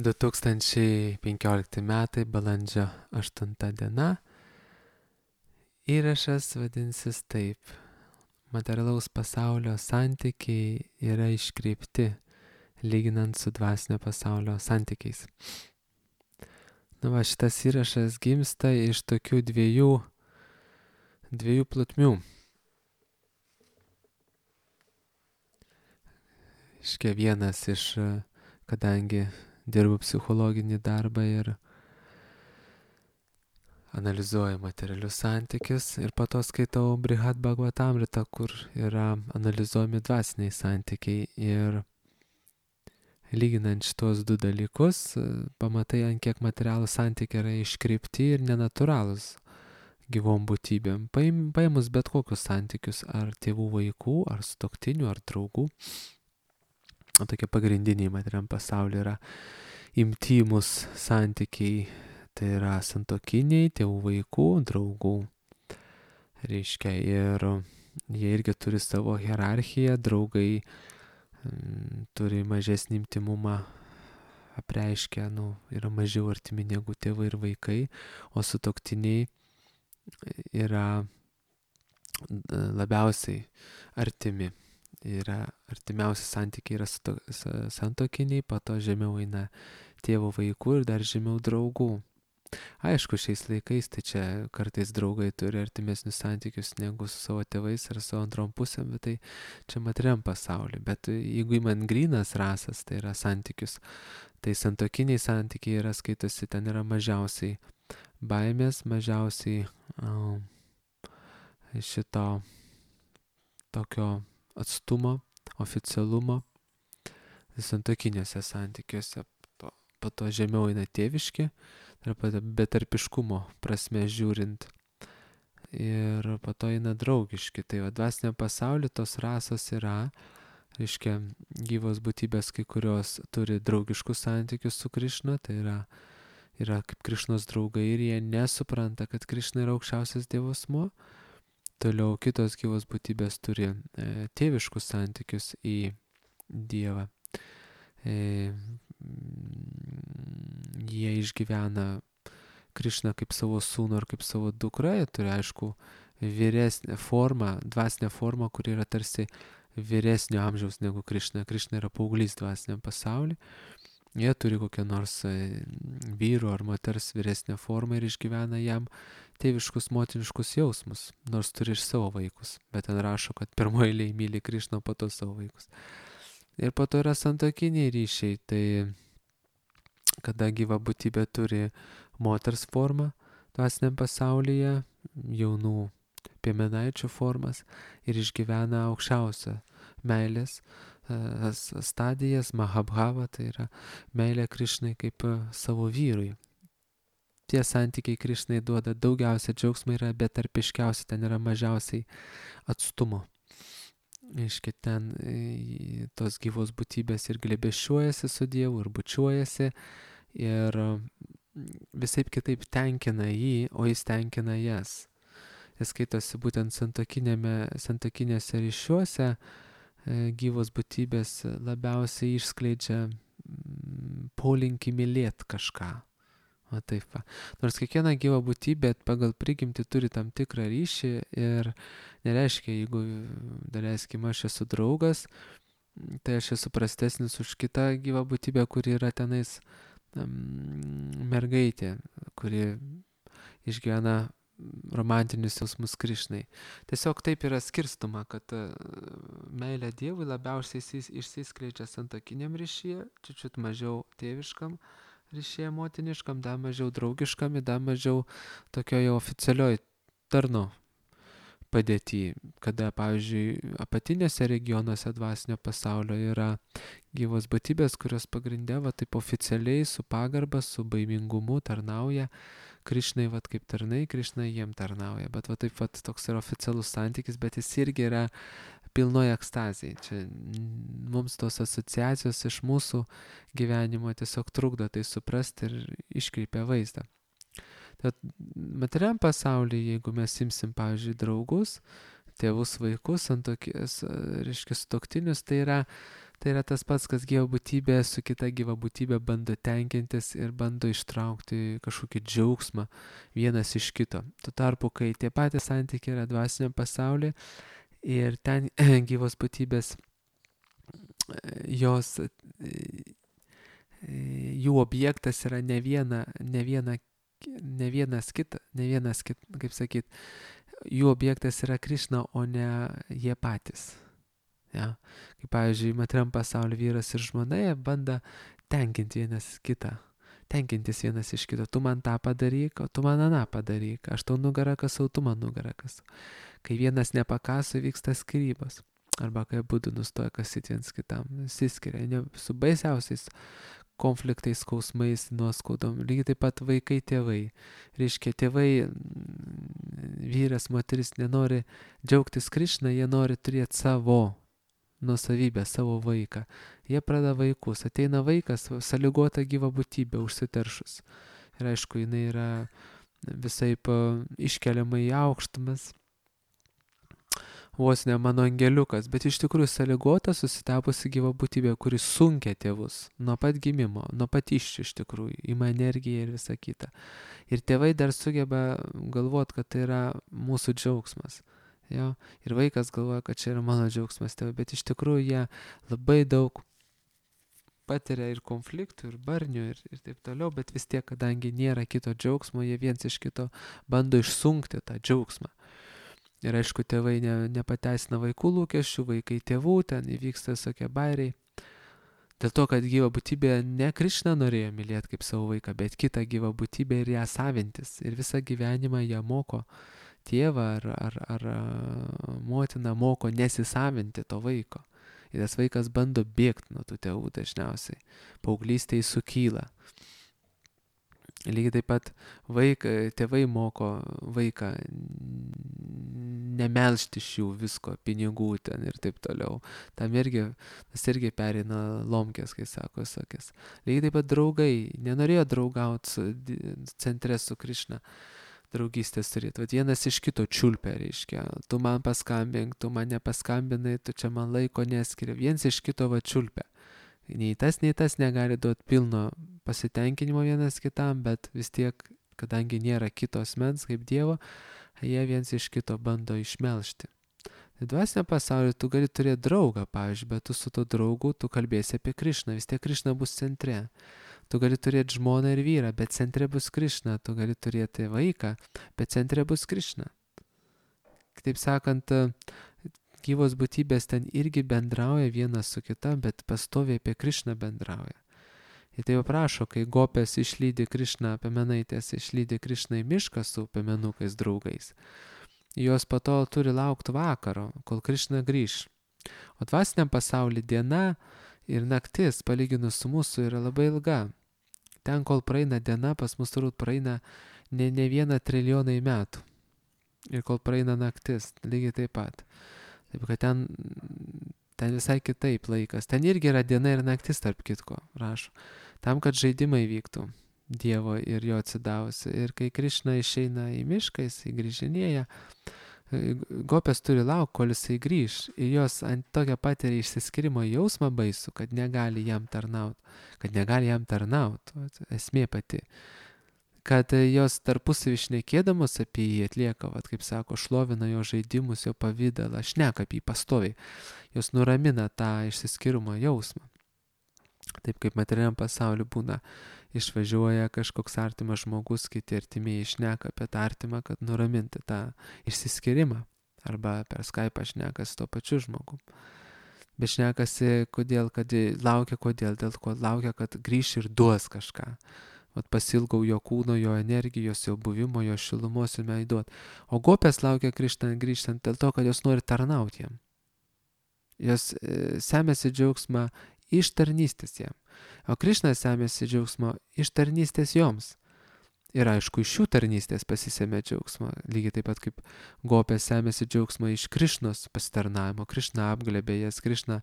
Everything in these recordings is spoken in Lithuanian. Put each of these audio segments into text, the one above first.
2015 metai, balandžio 8 diena. Įrašas vadinsis taip. Materialaus pasaulio santykiai yra iškreipti, lyginant su dvasinio pasaulio santykiais. Šitas įrašas gimsta iš tokių dviejų plotmių. Vienas iš, kadangi dirbu psichologinį darbą ir analizuoju materialius santykius, ir po to skaitau Brihad Bhagavatamrita, kur yra analizuojami dvasiniai santykiai, ir lyginant šitos du dalykus, pamatai, ant kiek materialūs santykiai yra iškreipti ir nenatūralūs gyvom būtybėm. Paėmus bet kokius santykius, ar tėvų vaikų, ar sutuoktinių, ar draugų, tokie pagrindiniai materialiam pasaulyje yra intymus santykiai, tai yra santuokiniai, tėvų vaikų, draugų. Ir jie irgi turi savo hierarchiją, draugai turi mažesnį intymumą, apreiškia, yra mažiau artimi negu tėvai ir vaikai, o sutuoktiniai yra labiausiai artimi. Artimiausi santykiai yra santuokiniai, po to žemiau eina tėvų vaikų ir dar žemiau draugų. Aišku, šiais laikais tai čia kartais draugai turi artimesnius santykius negu su savo tėvais ar savo antrom pusėm, bet tai čia materiam pasauliu. Bet jeigu įman grynas rasas, tai yra santykius, tai santuokiniai santykiai yra, skaitosi, ten yra mažiausiai baimės, mažiausiai šito tokio atstumo, oficialumo santuokiniuose santykiuose. Po to žemiau eina tėviški, betarpiškumo prasme žiūrint. Ir po to eina draugiški. Tai dvasiniam pasauliu tos rasos yra, gyvos būtybės, kai kurios turi draugiškus santykius su Krišna, tai yra kaip Krišnos draugai ir jie nesupranta, kad Krišna yra aukščiausias Dievo asmuo. Toliau kitos gyvos būtybės turi tėviškus santykius į Dievą. Jie išgyvena Krišną kaip savo sūnų ar kaip savo dukrą, jie turi, aišku, vyresnę formą, dvasinę formą, kuri yra tarsi vyresnio amžiaus negu Krišna. Krišna yra paauglys dvasiniam pasauliu. Jie turi kokią nors vyro ar moters vyresnę formą ir išgyvena jam tėviškus, motiniškus jausmus, nors turi ir savo vaikus. Bet ten rašo, kad pirmoje eilėje myli Krišną, po to savo vaikus. Ir po to yra santuokiniai ryšiai, tai kada gyva būtybė turi moters formą dvasiniam pasaulyje, jaunų piemenaičių formas ir išgyvena aukščiausią meilės stadijas, Mahabhava, tai yra meilė Krišnai kaip savo vyrui. Tie santykiai Krišnai duoda daugiausia džiaugsmo, yra betarpiškiausi, ten yra mažiausiai atstumo. Ten tos gyvos būtybės ir glėbesčiuojasi su Dievu, ir bučiuojasi, ir visaip kitaip tenkina jį, o jis tenkina jas. Jis skaitosi būtent santuokinėse ryšiuose, gyvos būtybės labiausiai išskleidžia polinkį mylėti kažką. Nors kiekviena gyva būtybė pagal prigimtį turi tam tikrą ryšį ir nereiškia, jeigu, daleiskim, aš esu draugas, tai aš esu prastesnis už kitą gyvą būtybę, kuri yra tenais mergaitė, kuri išgyvena romantinius jausmus Krišnai. Tiesiog taip yra skirstoma, kad meilė Dievui labiausiai išsiskleidžia santuokiniam ryšyje, čiut mažiau tėviškam ryšyje motiniškam, dar mažiau draugiškam ir dar mažiau tokioje oficialioj tarno padėty, kada, pavyzdžiui, apatinėse regionuose dvasinio pasaulio yra gyvos būtybės, kurios pagrindė taip oficialiai su pagarba, su baimingumu tarnauja Krišnai, kaip tarnai, Krišna jiem tarnauja. Bet taip toks yra oficialus santykis, bet jis irgi yra pilnoje ekstazijai. Čia mums tos asociacijos iš mūsų gyvenimo tiesiog trukdo tai suprasti ir iškreipia vaizdą. Tad materiam pasaulyje, jeigu mes imsim, pavyzdžiui, draugus, tėvus, vaikus, sutuoktinius, tai yra Tai yra tas pats, kas gyva būtybė su kita gyva būtybė bando tenkintis ir bando ištraukti kažkokį džiaugsmą vienas iš kito. Tuo tarpu, kai tie patys santykiai yra dvasiniam pasaulyje ir ten gyvos būtybės, jų objektas yra ne vienas kitas, kaip sakyt, jų objektas yra Krišna, o ne jie patys. Ja. Kaip pavyzdžiui, materiam pasaulio vyras ir žmona, jie bando tenkintis vienas iš kito. Tu man tą padaryk, o tu man aną padaryk. Aš tau nugarą kasau, tu man nugarą kasau. Kai vienas nepakaso, vyksta skyrybos. Arba kai abudu nustoja kasyti viens kitam. Išsiskiria su baisiausiais konfliktais, skausmais, nuoskaudom. Lygiai taip pat vaikai, tėvai. Reiškia, tėvai, vyras, moteris nenori džiaugtis Krišna, jie nori turėti savo nuosavybę, savo vaiką. Jie pradeda vaikus. Ateina vaikas, sąlygota gyva būtybė, užsiteršus. Ir aišku, jinai yra visaip iškeliama į aukštumas. Vos ne mano angeliukas, bet iš tikrųjų sąlygota, susitapusi gyva būtybė, kuris sunkia tėvus nuo pat gimimo, nuo pat iš tikrųjų, ima energiją ir visa kita. Ir tėvai dar sugeba galvoti, kad tai yra mūsų džiaugsmas. Jo? Ir vaikas galvoja, kad čia yra mano džiaugsmas tėvai, bet iš tikrųjų jie labai daug patiria ir konfliktų, ir barnių, ir taip toliau, bet vis tiek, kadangi nėra kito džiaugsmo, jie viens iš kito bando išsunkti tą džiaugsmą. Ir aišku, tėvai nepateisina vaikų lūkesčių, vaikai tėvų, ten įvyksta visokie bairiai. Dėl to, kad gyva būtybė ne Krišna norėjo mylėti kaip savo vaiką, bet kitą gyvą būtybę ir ją savintis. Ir visą gyvenimą ją moko tėvą ar motina moko nesisavinti to vaiko. Ir tas vaikas bando bėgti nuo tų tėvų dažniausiai. Paauglystėje sukyla. Lygiai taip pat tėvai moko vaiką nemelžti iš jų visko, pinigų ten ir taip toliau. Tas irgi pereina lomkės, kai sako sakės. Lygiai taip pat draugai nenorėjo draugauti centre su Krišna. Draugystės turėti. Vat vienas iš kito čiulpia, reiškia. Tu man paskambink, tu man nepaskambinai, tu čia man laiko neskiri. Viens iš kito va čiulpia. Nei tas negali duoti pilno pasitenkinimo vienas kitam, bet vis tiek, kadangi nėra kito asmens kaip Dievo, jie viens iš kito bando išmelžti. Tai dvasinio pasaulio tu gali turėti draugą, pavyzdžiui, bet tu su to draugu, tu kalbėsi apie Krišną, vis tiek Krišna bus centre. Tu gali turėti žmoną ir vyrą, bet centre bus Krišna. Tu gali turėti vaiką, bet centre bus Krišna. Kitaip sakant, gyvos būtybės ten irgi bendrauja vienas su kita, bet pastoviai apie Krišną bendrauja. Ir tai prašo, kai gopės išlydi Krišną, pemenaitės išlydi Krišną į mišką su pemenukais draugais. Jos po to turi laukti vakaro, kol Krišna grįš. O dvasiniam pasaulyje diena ir naktis, palyginus su mūsų, yra labai ilga. Ten, kol praeina diena, pas mus turbūt praeina ne 1 trilijonai metų. Ir kol praeina naktis, lygiai taip pat. Taip, kad ten visai kitaip laikas. Ten irgi yra diena ir naktis, tarp kitko, rašo. Tam, kad žaidimai vyktų Dievo ir jo atsidavusi. Ir kai Krišna išeina į mišką, jisai grįžinėja, gopės turi laukti, kol jisai grįž. Ir jos ant tokio patiria išsiskirimo jausmą baisų, kad negali jam tarnauti. Esmė pati. Kad jos tarpusavy šnekėdamos apie jį atlieka, kaip sako, šlovina jo žaidimus, jo pavydalą, šneka apie jį pastoviai. Jos nuramina tą išsiskirimo jausmą. Taip kaip materialiam pasauliu būna, išvažiuoja kažkoks artimas žmogus, kiti artimieji šneka apie tą artimą, kad nuraminti tą išsiskirimą. Arba per Skype'ą šnekas to pačiu žmogum. Bet šnekasi, kodėl, kad laukia, dėl ko laukia, kad grįš ir duos kažką. Vat pasilgau jo kūno, jo energijos, jo buvimo, jo šilumos ir meidot. O gopės laukia grįžtant dėl to, kad jos nori tarnauti jam. Jos semėsi džiaugsmą iš tarnystės jam. O Krišna semėsi džiaugsmo iš tarnystės joms. Ir aišku, iš šių tarnystės pasisėmė džiaugsmą. Lygiai taip pat kaip gopės semėsi džiaugsmą iš Krišnos pasitarnavimo. Krišna apglėbė jas, Krišna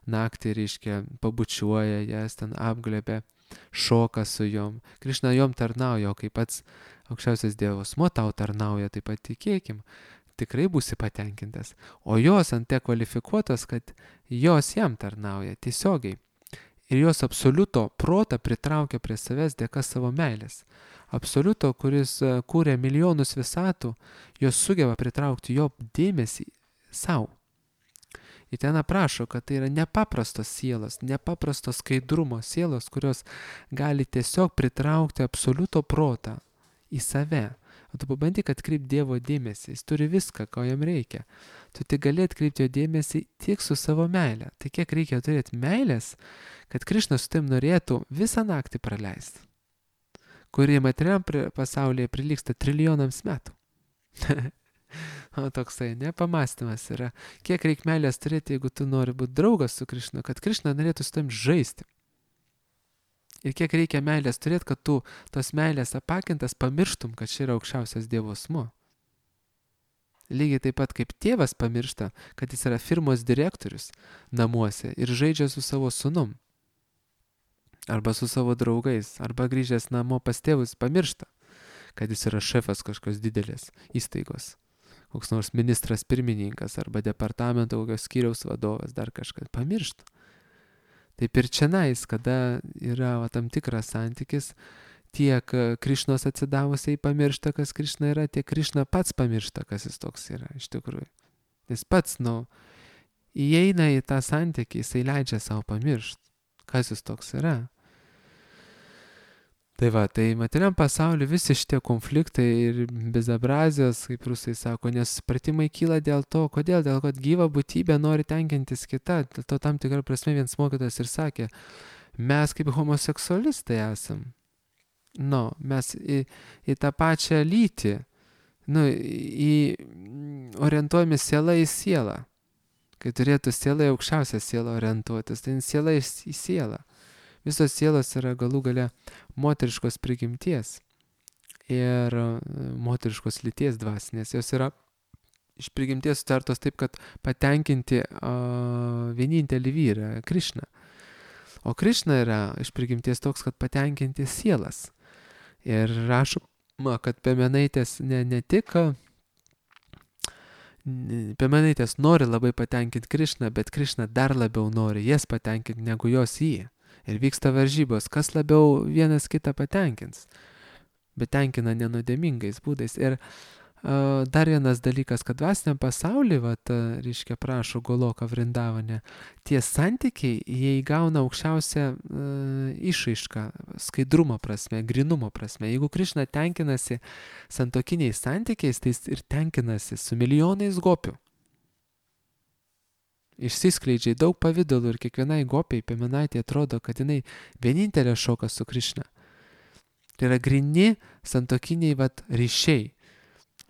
naktį, reiškia, pabučiuoja jas, ten apglėbė, šoka su jom. Krišna jom tarnauja, o kaip pats aukščiausias Dievas tau tarnauja, taip pat tikėkim. tikrai būsi patenkintas. O jos ant tiek kvalifikuotos, kad jos jam tarnauja tiesiogiai. Ir jos absoliuto protą pritraukia prie savęs dėka savo meilės. Absoliuto, kuris kūrė milijonus visatų, jos sugeba pritraukti jo dėmesį savo. Ir ten aprašo, kad tai yra nepaprastos sielos, nepaprastos skaidrumo sielos, kurios gali tiesiog pritraukti absoliuto protą į save. O tu pabandyk atkreipti Dievo dėmesį, jis turi viską, ko jam reikia. Tu tik gali atkreipti jo dėmesį tik su savo meile. Tai kiek reikia turėti meilės, kad Krišna su tavim norėtų visą naktį praleisti, kuri materialiam pasaulyje prilygsta trilijonams metų. O toksai nepamastymas yra, kiek reikia meilės turėti, jeigu tu nori būti draugas su Krišna, kad Krišna norėtų su tavim žaisti. Ir kiek reikia meilės turėti, kad tu tos meilės apakintas pamirštum, kad čia yra aukščiausias Dievo asmuo. Lygiai taip pat kaip tėvas pamiršta, kad jis yra firmos direktorius namuose ir žaidžia su savo sūnum. Arba su savo draugais, arba grįžęs namo pas tėvus pamiršta, kad jis yra šefas kažkokios didelės įstaigos. Koks nors ministras pirmininkas arba departamento kokios skyriaus vadovas, dar kažkas pamiršta. Taip ir čianais, kada yra tam tikras santykis, tiek Krišnos atsidavusiai pamiršta, kas Krišna yra, tiek Krišna pats pamiršta, kas jis toks yra iš tikrųjų. Jis pats, įeina į tą santykį, jisai leidžia savo pamiršti, kas jis toks yra. Tai va, tai materialiam pasauliu visi šitie konfliktai ir bezabrazijos, kaip rusai sako, nesupratimai kyla dėl to, kodėl, dėl kad gyva būtybė nori tenkintis kita, dėl to tam tikrą prasme vienas mokytojas ir sakė, mes kaip homoseksualistai esam, mes į tą pačią lytį, orientuojame sielą į sielą, kai turėtų siela į aukščiausią sielą orientuotis, tai siela į sielą. Visos sielos yra galų gale moteriškos prigimties ir moteriškos lyties dvasinės. Jos yra iš prigimties sutartos taip, kad patenkinti vienintelį vyrą, Krišną. O Krišna yra iš prigimties toks, kad patenkinti sielas. Ir rašoma, kad Piemenaitės ne tik Piemenaitės nori labai patenkinti Krišną, bet Krišna dar labiau nori jas patenkinti negu jos jį. Ir vyksta varžybos, kas labiau vienas kitą patenkins, bet tenkina nenuodėmingais būdais. Ir dar vienas dalykas, kad dvasiniam pasaulyje, reiškia prašo Goloka Vrindavane, tie santykiai, jie įgauna aukščiausią išraišką, skaidrumo prasme, grinumo prasme. Jeigu Krišna tenkinasi santokiniais santykiais, tai jis ir tenkinasi su milijonais gopių. Išsiskleidžia daug pavydalų ir kiekvienai gopiai Piemenaitė atrodo, kad jinai vienintelė šoka su Krišna. Tai yra grini santokiniai ryšiai,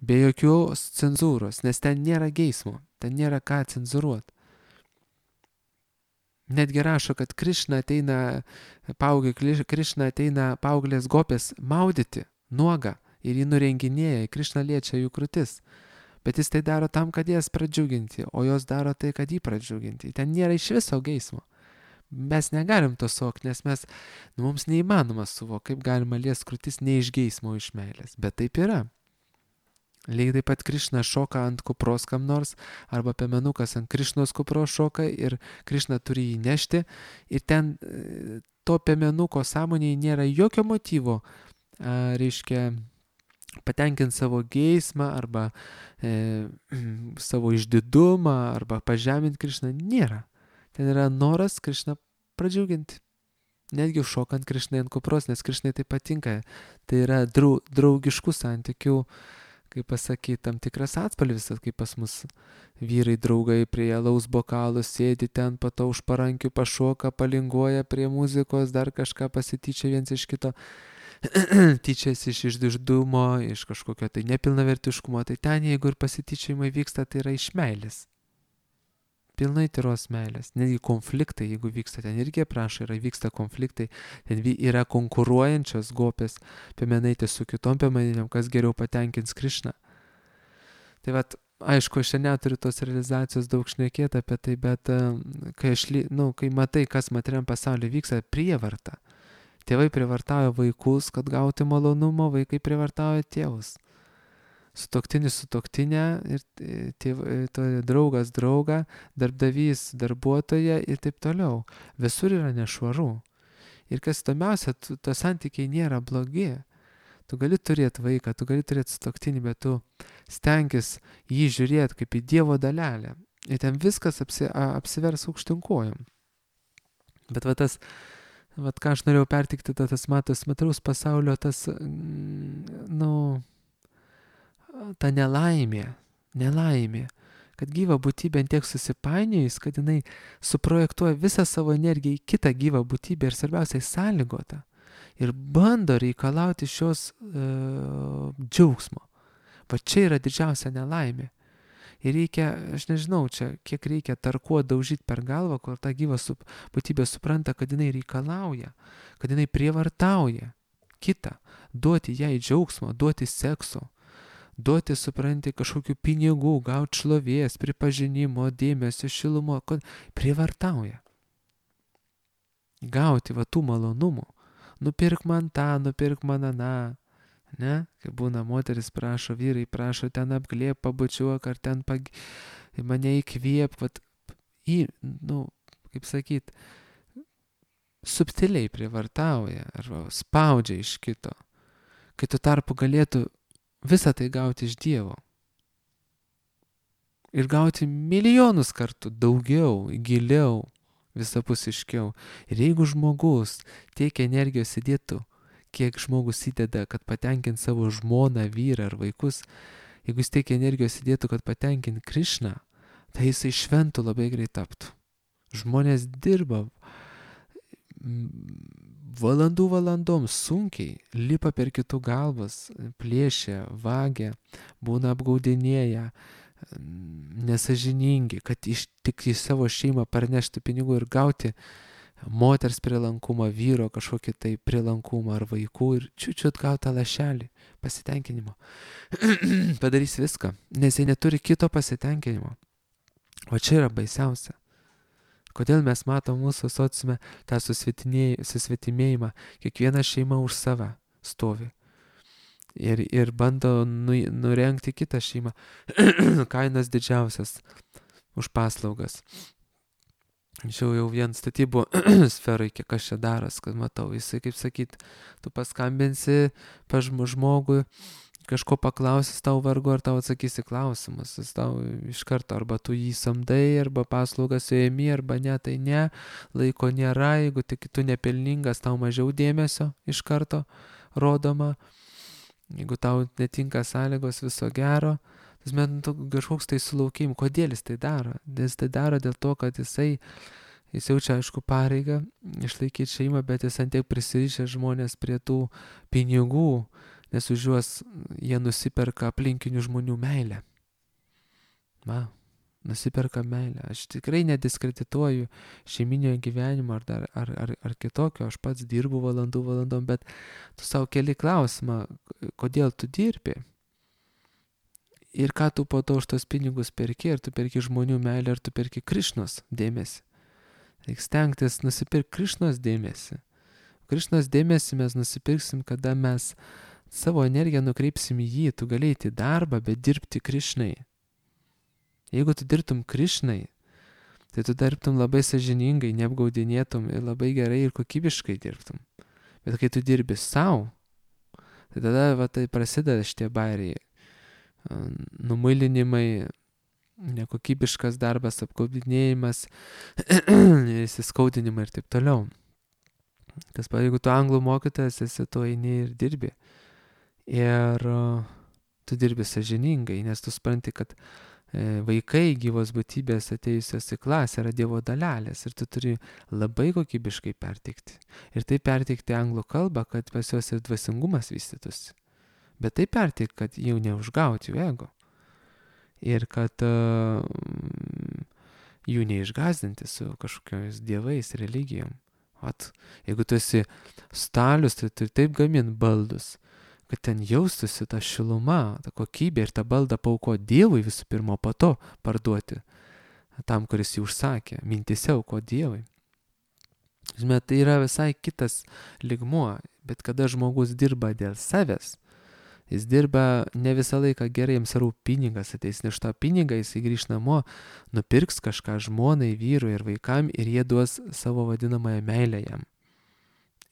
be jokios cenzūros, nes ten nėra geismo, ten nėra ką cenzuruoti. Netgi rašo, kad Krišna ateina paauglės gopės maudyti nuogą ir jį nurenginėja, Krišna liečia jų krūtis. Bet jis tai daro tam, kad jas pradžiuginti, o jos daro tai, kad jį pradžiuginti. Ten nėra iš viso geismo. Mes negalim to suvokti, nes mums neįmanoma suvokti, kaip galima liesti krūtis ne iš geismo, iš meilės. Bet taip yra. Lygiai taip pat Krišna šoka ant kupros kam nors, arba Piemenukas ant Krišnos kupros šoka ir Krišna turi jį nešti. Ir ten to Piemenuko sąmonėje nėra jokio motyvo, reiškia, patenkinti savo geismą arba savo išdidumą arba pažeminti Krišną. Nėra. Ten yra noras Krišną pradžiuginti. Netgi šokant Krišnai ant kupros, nes Krišnai tai patinka. Tai yra draugiškų santykių, kaip pasakyti, tam tikras atspalvis, kaip pas mus vyrai draugai prie alaus bokalų sėdi ten, po to už parankių pašoka, palinguoja prie muzikos, dar kažką pasityčia viens iš kito. Tyčiasi iš išdidumo, iš kažkokio tai nepilnavertiškumo, tai ten jeigu ir pasityčiojimai vyksta, tai yra iš meilės. Pilnai tyros meilės. Netgi konfliktai, jeigu vyksta, ten irgi prašo, vyksta konfliktai, ten yra konkuruojančios gopės Piemenaitės su kitom Piemenaitėm, kas geriau patenkins Krišną. Tai aišku, aš neturiu tos realizacijos daug šnekėti apie tai, bet kai matai, kas materialiam pasaulyje vyksta, prievarta. Tėvai prievartauja vaikus, kad gauti malonumą, vaikai prievartauja tėvus. sutuoktinis sutuoktinę ir draugas draugą, darbdavys darbuotoją ir taip toliau. Visur yra nešvaru. Ir kas įdomiausia, to santykiai nėra blogi. Tu gali turėti vaiką, tu gali turėti sutuoktinį, bet tu stenkis jį žiūrėti kaip į Dievo dalelę. Ir ten viskas apsivers aukštinkojom. Bet ką aš norėjau pertikti, tas materiaus pasaulio, ta nelaimė, kad gyva būtybė tiek susipainiojus, kad jinai suprojektuoja visą savo energiją į kitą gyvą būtybę ir svarbiausiai sąlygotą. Ir bando reikalauti šios džiaugsmo. Va čia yra didžiausia nelaimė. Ir reikia, aš nežinau, čia kiek reikia tarkuo daužyti per galvą, kol ta gyva būtybė supranta, kad jinai reikalauja, kad jinai prievartauja kitą, duoti jai džiaugsmo, duoti sekso, duoti, supranti, kažkokių pinigų, gauti šlovės, pripažinimo, dėmesio, šilumo, prievartauja. Gauti va tų malonumų. Nupirk man tą, nupirk man aną. Ne? Kai būna moteris prašo, vyrai prašo, ten apglėp, pabučiuok, ar ten mane įkvėp, kaip sakyt, subtiliai prievartauja, arba spaudžia iš kito, kai tu tarpu galėtų visą tai gauti iš Dievo. Ir gauti milijonus kartų daugiau, giliau, visapusiškiau. Ir jeigu žmogus tiek energijos įdėtų, kiek žmogus įdeda, kad patenkint savo žmoną, vyrą ar vaikus, jeigu jis tiek energijos įdėtų, kad patenkint Krišną, tai jisai šventų labai greit taptų. Žmonės dirba valandom sunkiai, lipa per kitų galvas, plėšia, vagia, būna apgaudinėja, nesažiningi, kad tik į savo šeimą parnešti pinigų ir gauti moters prielankumą, vyro kažkokį tai prielankumą ar vaikų ir čiut gautą lašelį pasitenkinimo. Padarys viską, nes jie neturi kito pasitenkinimo. O čia yra baisiausia. Kodėl mes matom mūsų sociume tą susvetimėjimą, kiekviena šeima už save stovi. Ir bando nurengti kitą šeimą. Kainas didžiausias už paslaugas. Jau vien statybų sferai, kiek aš čia daras, kad matau, jisai, kaip sakyt, tu paskambinsi pas žmogui, kažko paklausis tau vargu, ar tau atsakysi klausimus, jis tau iš karto, arba tu jį samdai, arba paslaugas suėmi, arba ne, tai ne, laiko nėra, jeigu tik tu nepelningas, tau mažiau dėmesio iš karto rodoma, jeigu tau netinka sąlygos, viso gero. Tas kažkoks tai sulaukim, kodėl jis tai daro? Jis tai daro dėl to, kad jis jaučia, aišku, pareigą išlaikyti šeimą, bet jis ant tiek prisirišę žmonės prie tų pinigų, nes už juos jie nusiperka aplinkinių žmonių meilę. Nusiperka meilę. Aš tikrai nediskredituoju šeiminio gyvenimo ar kitokio, aš pats dirbu valandom, bet tu savo keli klausimą, kodėl tu dirbi? Ir ką tu po to už tos pinigus perki, ar tu perki žmonių meilę, ar tu perki Krišnos dėmesį. Reikia stengtis nusipirkti Krišnos dėmesį. Krišnos dėmesį mes nusipirksim, kada mes savo energiją nukreipsim į jį. Tu gali eiti į darbą, bet dirbti Krišnai. Jeigu tu dirbtum Krišnai, tai tu dirbtum labai sąžiningai, neapgaudinėtum ir labai gerai ir kokybiškai dirbtum. Bet kai tu dirbi savo, tai tada tai prasideda šitie bairiai. Numuilinimai, nekokybiškas darbas, apgaudinėjimas, įsiskaudinimai ir taip toliau. Jeigu tu anglų mokytojas esi, tu eini ir dirbi. Ir tu dirbi sąžiningai, nes tu supranti, kad vaikai, gyvos būtybės atėjusios į klasę yra Dievo dalelės ir tu turi labai kokybiškai perteikti. Ir tai perteikti anglų kalbą, kad pas juos ir dvasingumas vystytųsi. Bet tai perteik, kad jau neužgauti jų ego. Ir kad jų neišgazdinti su kažkokiais dievais, religijom. Jeigu tu esi stalius, tai tu taip gamin baldus, kad ten jaustųsi ta šiluma, ta kokybė ir tą baldą pauko Dievui visų pirma, po to parduoti tam, kuris jį užsakė, mintise auko Dievui. Žinoma, tai yra visai kitas lygmuo, bet kada žmogus dirba dėl savęs, Jis dirba ne visą laiką gerai, jiems rūpi pinigas, ateis iš to pinigą, jis grįš namo, nupirks kažką žmonai, vyrui ir vaikam ir jie duos savo vadinamąją meilę jam.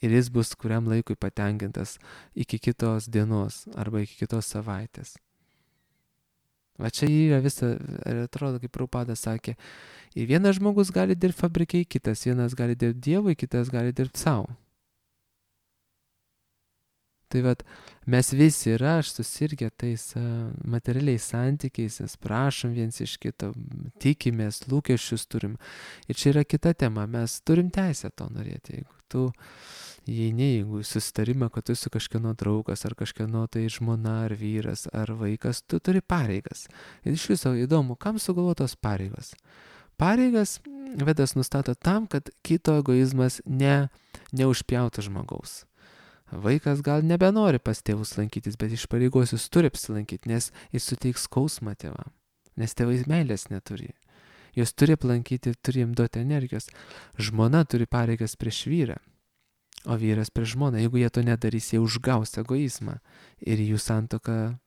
Ir jis bus kuriam laikui patenkintas iki kitos dienos arba iki kitos savaitės. Va čia yra visa, ir atrodo, kaip Prabhupada sakė, ir vienas žmogus gali dirbti fabrikai, kitas vienas gali dirbti Dievui, kitas gali dirbti savo. Tai vat, mes visi ir aš susirgę tais materialiais santykiais, mes prašom viens iš kito, tikimės, lūkesčius turim. Ir čia yra kita tema, mes turim teisę to norėti. Jeigu tu jeigu susitarimą, kad tu esi kažkieno draugas, ar kažkieno tai žmona, ar vyras, ar vaikas, tu turi pareigas. Ir iš viso įdomu, kam sugalvotos pareigos? Pareigas Vedas nustato tam, kad kito egoizmas neužpjautų žmogaus. Vaikas gal nebenori pas tėvus lankytis, bet iš pareigos jis turi apsilankyti, nes jis suteiks skausmą tėvam, nes tėvai meilės neturi. Jos turi aplankyti, turi jam duoti energijos. Žmona turi pareigas prieš vyrą, o vyras prieš žmoną. Jeigu jie to nedarys, jie užgaus egoizmą ir jų santuoka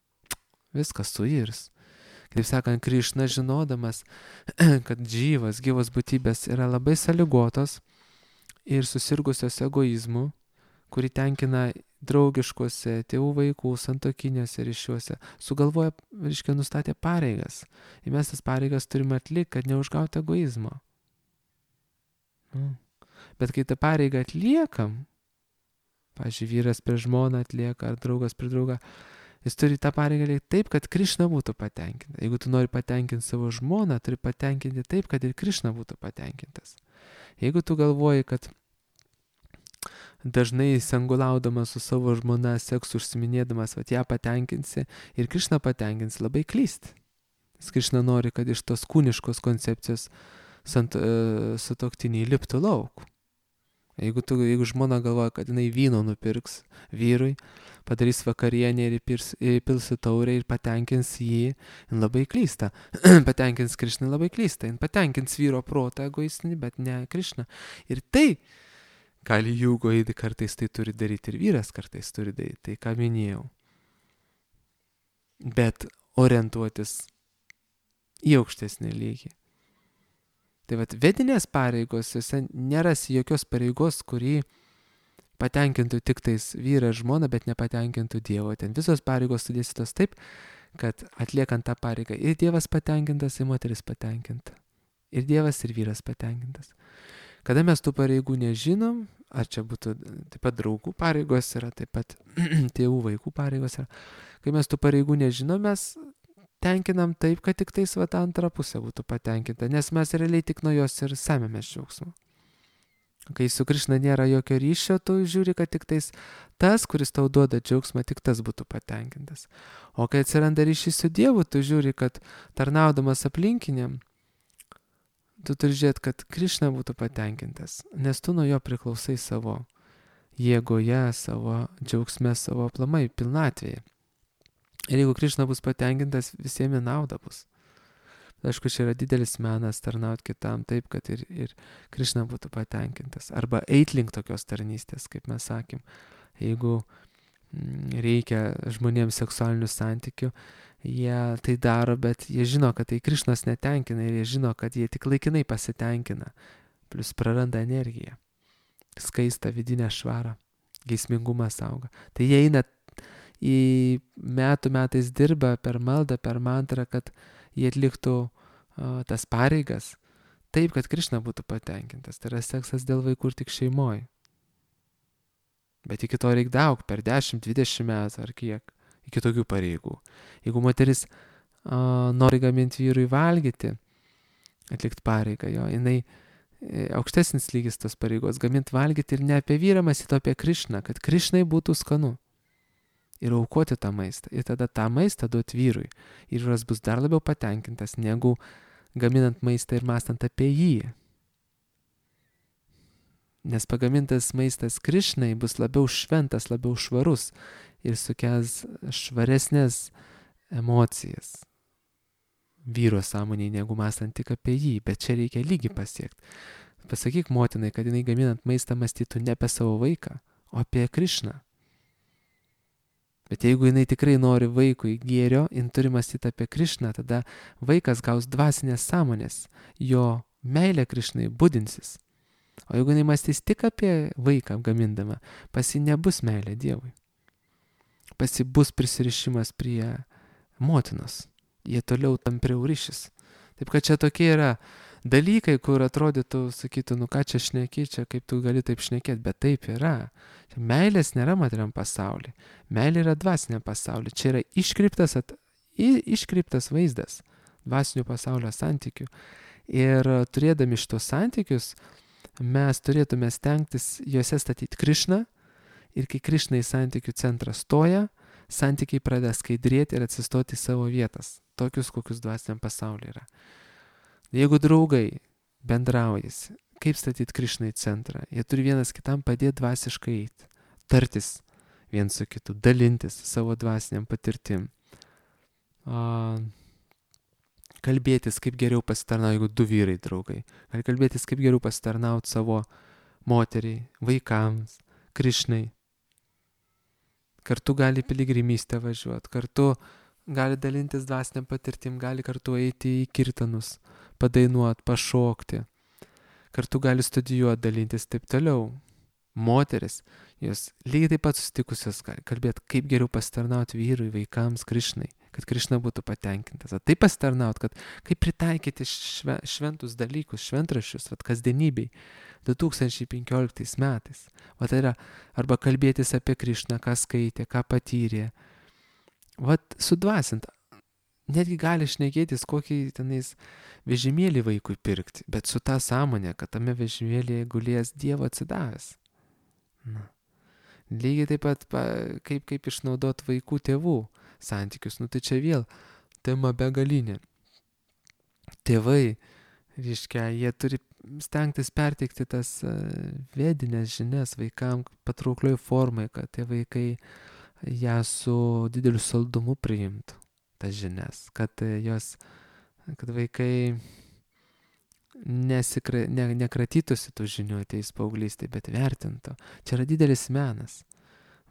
viskas suirs. Kaip sakant, Krišna žinodamas, kad gyvos būtybės yra labai sąlygotos ir susirgusios egoizmu, kurį tenkina draugiškuose tėvų vaikų santuokiniuose ryšiuose, sugalvoja, nustatė pareigas. Ir mes tas pareigas turime atlikti, kad neužgauti egoizmo. Bet kai tą pareigą atliekam, pavyzdžiui, vyras prie žmoną atlieka, ar draugas prie draugą, jis turi tą pareigą atlikti taip, kad Krišna būtų patenkinta. Jeigu tu nori patenkinti savo žmoną, turi patenkinti taip, kad ir Krišna būtų patenkintas. Jeigu tu galvoji, kad dažnai sangulaudamas su savo žmona, seksu užsiminėdamas, ją patenkinsi ir Krišna patenkins, labai klysti. Krišna nori, kad iš tos kūniškos koncepcijos sutuoktiniai liptų lauk. Jeigu žmona galvoja, kad jinai vyno nupirks vyrui, padarys vakarienę ir įpils į taurę ir patenkins jį, jin labai klysta. Patenkins Krišną, labai klysta. Jin patenkins vyro protą egoistinį, bet ne Krišną. Ir tai gali jūgo įdį, kartais tai turi daryti ir vyras kartais turi daryti, tai ką minėjau. Bet orientuotis į aukštesnį lygį. Tai vat vedinės pareigos, jose nerasi jokios pareigos, kurį patenkintų tik tais vyrą žmoną, bet nepatenkintų Dievo. Ten visos pareigos sudėstytos taip, kad atliekant tą pareigą ir Dievas patenkintas, ir moteris patenkinta. Ir Dievas, ir vyras patenkintas. Kada mes tų pareigų nežinom, ar čia būtų taip pat draugų pareigos yra, taip pat tėvų vaikų pareigos yra, kai mes tų pareigų nežinom, mes tenkinam taip, kad tik tais antra pusė būtų patenkinta, nes mes realiai tik nuo jos ir semėmės džiaugsmą. Kai su Krišna nėra jokio ryšio, tu žiūri, kad tik tais tas, kuris tau duoda džiaugsmą, tik tas būtų patenkintas. O kai atsiranda ryšys su Dievu, tu žiūri, kad tarnaudamas aplinkiniam, tu turi žiūrėti, kad Krišna būtų patenkintas, nes tu nuo jo priklausai savo jėgoje, savo džiaugsme, savo aplamai pilnatvėje. Ir jeigu Krišna bus patenkintas, visiems nauda bus. Aišku, čia yra didelis menas tarnauti kitam taip, kad ir Krišna būtų patenkintas. Arba eit link tokios tarnystės, kaip mes sakėm. Jeigu reikia žmonėms seksualinių santykių, jie tai daro, bet jie žino, kad tai Krišnos netenkina ir jie žino, kad jie tik laikinai pasitenkina, plus praranda energiją, skaistą vidinę švarą, geismingumas auga. Tai jie eina į metais dirba per maldą, per mantrą, kad jie atliktų tas pareigas taip, kad Krišna būtų patenkintas. Tai yra seksas dėl vaikų ir tik šeimoje. Bet iki to reikia daug, per 10-20 metų ar kiek, iki tokių pareigų. Jeigu moteris nori gaminti vyrui valgyti, atlikti pareigą jo, jinai aukštesnis lygis tos pareigos, gaminti valgyti ir ne apie vyrą mąstyti, o apie Krišną, kad Krišnai būtų skanu. Ir aukoti tą maistą. Ir tada tą maistą duoti vyrui. Ir vyras bus dar labiau patenkintas, negu gaminant maistą ir mąstant apie jį. Nes pagamintas maistas Krišnai bus labiau šventas, labiau švarus ir sukels švaresnės emocijas vyro sąmonėje, negu mąstant tik apie jį. Bet čia reikia lygį pasiekti. Pasakyk motinai, kad jinai gaminant maistą mąstytų ne apie savo vaiką, o apie Krišną. Bet jeigu jinai tikrai nori vaikui gėrio, jin turi mąstyti apie Krišną, tada vaikas gaus dvasinės sąmonės, jo meilė Krišnai budinsis. O jeigu jinai mąstys tik apie vaiką gamindama, pas jį nebus meilė Dievui. Pas jį bus prisirišimas prie motinos. Jie toliau tampriau ryšis. Taip kad čia tokie yra dalykai, kur atrodytų, sakytų, nu ką čia šneki, čia kaip tu gali taip šnekėti, bet taip yra. Meilės nėra materiam pasaulyje. Meilė yra dvasiniam pasaulyje. Čia yra iškreiptas vaizdas dvasinio pasaulio santykių. Ir turėdami šitos santykius, mes turėtume stengtis juose statyti Krišną. Ir kai Krišna į santykių centrą stoja, santykiai pradeda skaidrėti ir atsistoti į savo vietas. Tokius, kokius dvasiniam pasaulyje yra. Jeigu draugai bendraujasi, kaip statyti Krišną į centrą, jie turi vienas kitam padėti dvasiškai eiti, tartis viens su kitu, dalintis savo dvasiniam patirtim, kalbėtis, kaip geriau pasitarnauti, jeigu du vyrai draugai, gali kalbėtis, kaip geriau pasitarnauti savo moteriai, vaikams, Krišnai. Kartu gali piligrimystę važiuoti, kartu gali dalintis dvasiniam patirtim, gali kartu eiti į kirtanus, padainuoti, pašokti. Kartu gali studijuoti, dalintis taip toliau. Moteris, jos lygiai taip pat susitikusios gali kalbėti, kaip geriau pasitarnauti vyrui, vaikams, Krišnai, kad Krišna būtų patenkintas. Taip pasitarnauti, kad kaip pritaikyti šventus dalykus, šventraščius, kasdienybei 2015 metais. Tai yra arba kalbėtis apie Krišną, ką skaitė, ką patyrė. Sudvasint. Netgi gali šnekėtis, kokį tenais vežimėlį vaikui pirkti, bet su ta sąmonė, kad tame vežimėlėje gulės Dievo atsidavęs. Lygiai taip pat, kaip išnaudoti vaikų tėvų santykius. Tai čia vėl tema begalinė. Tėvai, reiškia, jie turi stengtis perteikti tas vedinės žinias vaikams patrauklioj formai, kad tie vaikai ją su dideliu saldumu priimtų, tas žinias, kad vaikai nekratytųsi tų žinių ateis paauglystėje, bet vertintų. Čia yra didelis menas.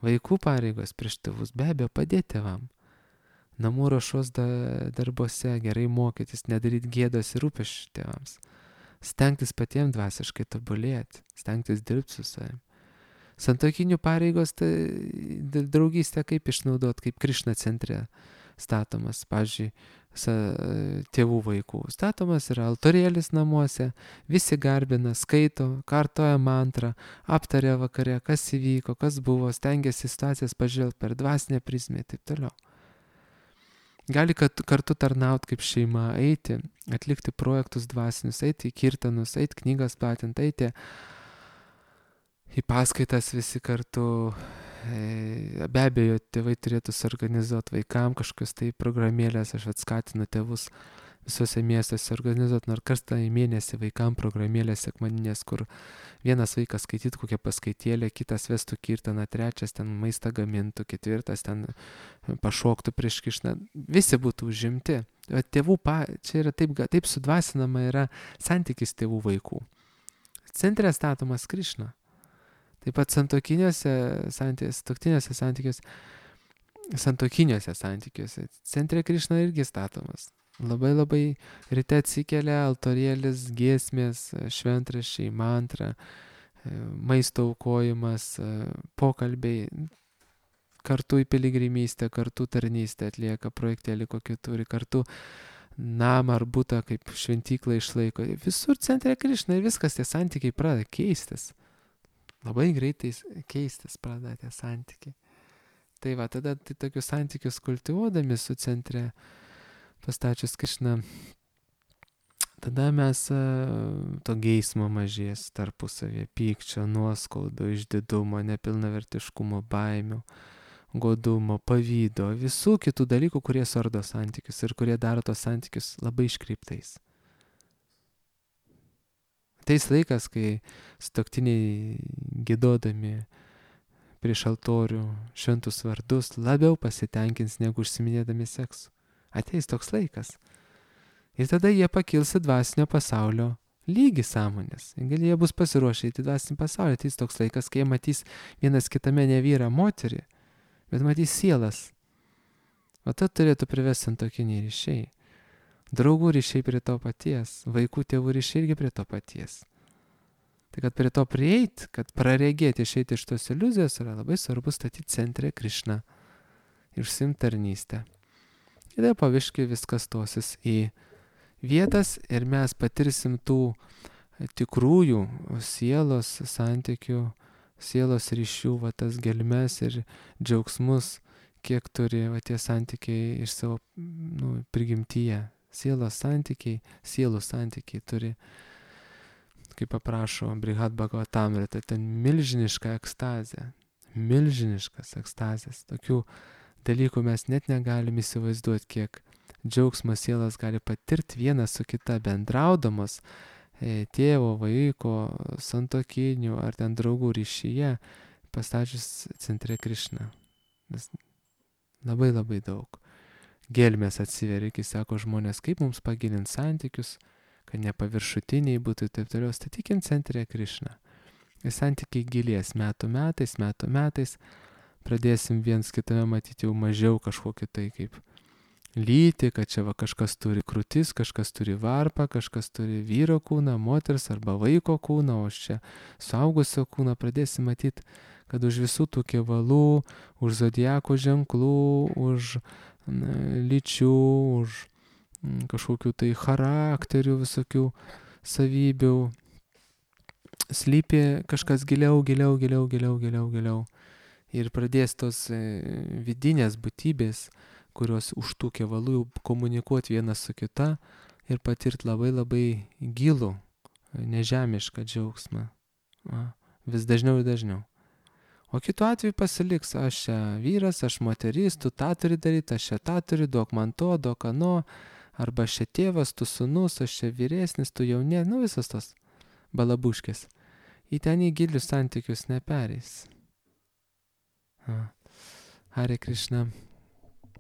Vaikų pareigos prieš tėvus be abejo padėti tėvam. Namų ruošos darbuose gerai mokytis, nedaryti gėdos ir rūpesčių tėvams. Stengtis patiems dvasiškai tobulėti, stengtis dirbti su savim. Santuokinių pareigos, tai draugystę kaip išnaudoti, kaip Krišna centre statomas, pavyzdžiui, tėvų vaikų. Statomas yra altorėlis namuose, visi garbina, skaito, kartoja mantrą, aptaria vakare, kas įvyko, kas buvo, stengiasi situacijas pažvelgti per dvasinę prizmę ir taip toliau. Gali kartu tarnauti kaip šeima, eiti, atlikti projektus dvasinius, eiti į kirtanus, eiti knygas platinti, eiti į paskaitas visi kartu. Be abejo, tėvai turėtų suorganizuoti vaikams kažkokios tai programėlės. Aš skatinu tėvus visose miestuose organizuoti nors kartą į mėnesį vaikams programėlės sekmadinės, kur vienas vaikas skaitytų kokią paskaitėlę, kitas vestų kirtaną, trečias ten maistą gamintų, ketvirtas ten pašoktų prieš Krišną. Visi būtų užimti. Tėvų čia yra taip sudvasinama yra santykis tėvų vaikų. Centre statomas Krišna. Taip pat santuokiniuose santykiuose centre Krišna irgi statomas. Labai ryte atsikelia, altorėlis, giesmės, šventraščiai, mantra, maisto aukojimas, pokalbiai, kartu į piligrimystę, kartu tarnystę atlieka, projektėlį kokį turi, kartu namą ar butą kaip šventyklą išlaiko. Visur centre Krišna ir viskas, tie santykiai pradeda keistis. Labai greitai keistis pradeda tie santykiai. Tai tada tokius santykius kultivuodami su centre pastačius Krišną, tada mes to geismo mažės tarpusavėje, pykčio, nuoskaudų, išdidumo, nepilnavertiškumo, baimių, godumo, pavydo, visų kitų dalykų, kurie suardo santykius ir kurie daro tos santykius labai iškreiptais. Ateis laikas, kai sutuoktiniai giedodami prieš altorių šventus vardus labiau pasitenkins negu užsiminėdami seksu. Ateis toks laikas. Ir tada jie pakils į dvasinio pasaulio lygį sąmonės. Gal jie bus pasiruošę į dvasinį pasaulį. Ateis toks laikas, kai jie matys vienas kitame ne vyrą, moterį. bet matys sielas. O tai turėtų privesti santuokiniai ryšiai. Draugų ryšiai prie to paties, vaikų tėvų ryšiai irgi prie to paties. Tai kad prie to prieit, kad praregėti, išeiti iš tos iliuzijos, yra labai svarbu statyti centre Krišną ir užsiimti tarnystę. Ir tada paviškai viskas stosis į vietas ir mes patirsim tų tikrųjų sielos santykių, sielos ryšių, va tas gelmes ir džiaugsmus, kiek turi va tie santykiai iš savo prigimtyje. Sielos santykiai, sielų santykiai turi, kaip paprašo Brihad Bhagavatamrita, ten milžiniška ekstazė, milžiniškas ekstazės. Tokių dalykų mes net negalim įsivaizduoti, kiek džiaugsmo sielas gali patirti vienas su kita bendraudamos tėvo, vaiko, santuokinių ar ten draugų ryšyje, pastačius centre Krišną. Labai labai daug. Gelmės atsiveria, kai sako žmonės, kaip mums pagilinti santykius, kad nepaviršutiniai būtų ir taip toliau, statykim centre Krišną. Ir santykiai gilės metų metais, pradėsim viens kitame matyti jau mažiau kažkokį tai kaip lyti, kad čia va kažkas turi krūtis, kažkas turi varpą, kažkas turi vyro kūną, moters arba vaiko kūną, o čia suaugusio kūną pradėsim matyti, kad už visų tų kevalų, už zodiako ženklų, už lyčių, už kažkokių tai charakterių, visokių savybių slypi kažkas giliau. Ir pradės tos vidinės būtybės, kurios už tų kevalų jau komunikuoti vienas su kita ir patirti labai labai gilų, nežemišką džiaugsmą. Vis dažniau ir dažniau. O kitu atveju pasiliks, aš čia vyras, aš moteris, tu tą turi daryti, aš čia tą turiu, duok man to, duok ano, arba aš čia tėvas, tu sūnus, aš čia vyresnis, tu jaunė, visas tos balabuškės. Į ten į gilius santykius nepereis. Hare Krishna.